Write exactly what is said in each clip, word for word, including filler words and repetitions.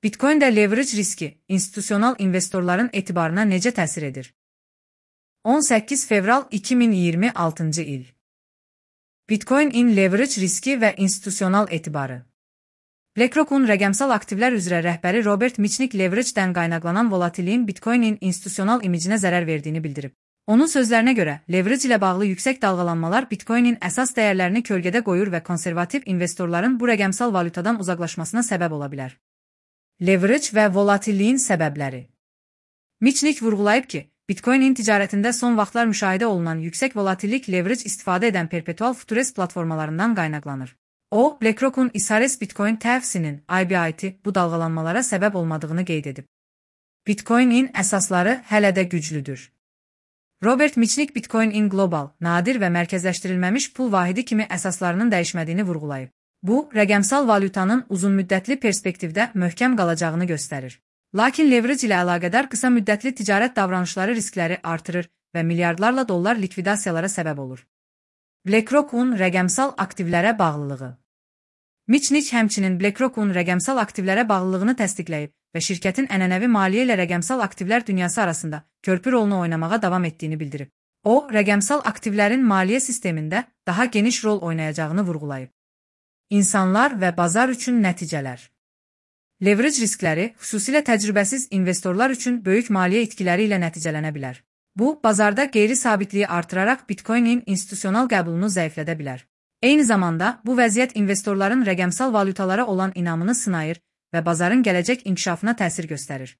Bitcoin-də leverage riski institusional investorların etibarına necə təsir edir? on səkkiz fevral iki min iyirmi altıncı il. Bitcoin-in leverage riski və institusional etibarı. BlackRock'un rəqəmsal aktivlər üzrə rəhbəri Robert Mitchell leverage-dən qaynaqlanan volatilliyin Bitcoin-in institusional imicinə zərər verdiyini bildirib. Onun sözlərinə görə, leverage ilə bağlı yüksək dalğalanmalar Bitcoin-in əsas dəyərlərini kölgədə qoyur və konservativ investorların bu rəqəmsal valyutadan uzaqlaşmasına səbəb ola bilər. Leverage və volatilliyin səbəbləri. Mitchell vurğulayıb ki, Bitcoin-in ticarətində son vaxtlar müşahidə olunan yüksək volatillik leverage istifadə edən perpetual futures platformalarından qaynaqlanır. O, BlackRock'un İSARES Bitcoin təfsinin I B I T bu dalğalanmalara səbəb olmadığını qeyd edib. Bitcoin-in əsasları hələ də güclüdür. Robert Mitchell Bitcoin-in qlobal, nadir və mərkəzləşdirilməmiş pul vahidi kimi əsaslarının dəyişmədiyini vurğulayıb. Bu, rəqəmsal valyutanın uzunmüddətli perspektivdə möhkəm qalacağını göstərir. Lakin leverage ilə əlaqədar qısa müddətli ticarət davranışları riskləri artırır və milyardlarla dollar likvidasiyalara səbəb olur. BlackRock'un rəqəmsal aktivlərə bağlılığı. Mitchell həmçinin BlackRock'un rəqəmsal aktivlərə bağlılığını təsdiqləyib və şirkətin ənənəvi maliyyə ilə rəqəmsal aktivlər dünyası arasında körpü rolunu oynamağa davam etdiyini bildirib. O, rəqəmsal aktivlərin maliyyə sistemində daha geniş rol oynayacağını vurğulayıb. İnsanlar və bazar üçün nəticələr. Leverage riskləri, xüsusilə təcrübəsiz investorlar üçün böyük maliyyə itkiləri ilə nəticələnə bilər. Bu, bazarda qeyri-sabitliyi artıraraq Bitcoin-in institusional qəbulunu zəiflədə bilər. Eyni zamanda, bu vəziyyət investorların rəqəmsal valyutalara olan inamını sınayır və bazarın gələcək inkişafına təsir göstərir.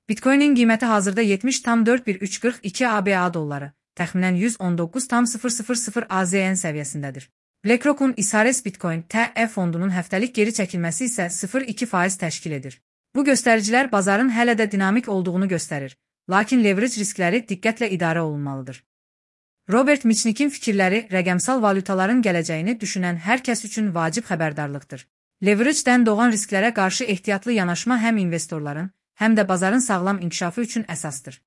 Bitcoin-in qiyməti hazırda yetmiş tam dörd bir üç qırx iki A B A dolları, təxminən yüz on doqquz tam sıfır sıfır sıfır A Z N səviyyəsindədir. BlackRock'un İSARES Bitcoin T E fondunun həftəlik geri çəkilməsi isə sıfır virgül iki faiz təşkil edir. Bu göstəricilər bazarın hələ də dinamik olduğunu göstərir, lakin leverage riskləri diqqətlə idarə olunmalıdır. Robert Mitchell'in fikirləri rəqəmsal valyutaların gələcəyini düşünən hər kəs üçün vacib xəbərdarlıqdır. Leverage-dən doğan risklərə qarşı ehtiyatlı yanaşma həm investorların, həm də bazarın sağlam inkişafı üçün əsasdır.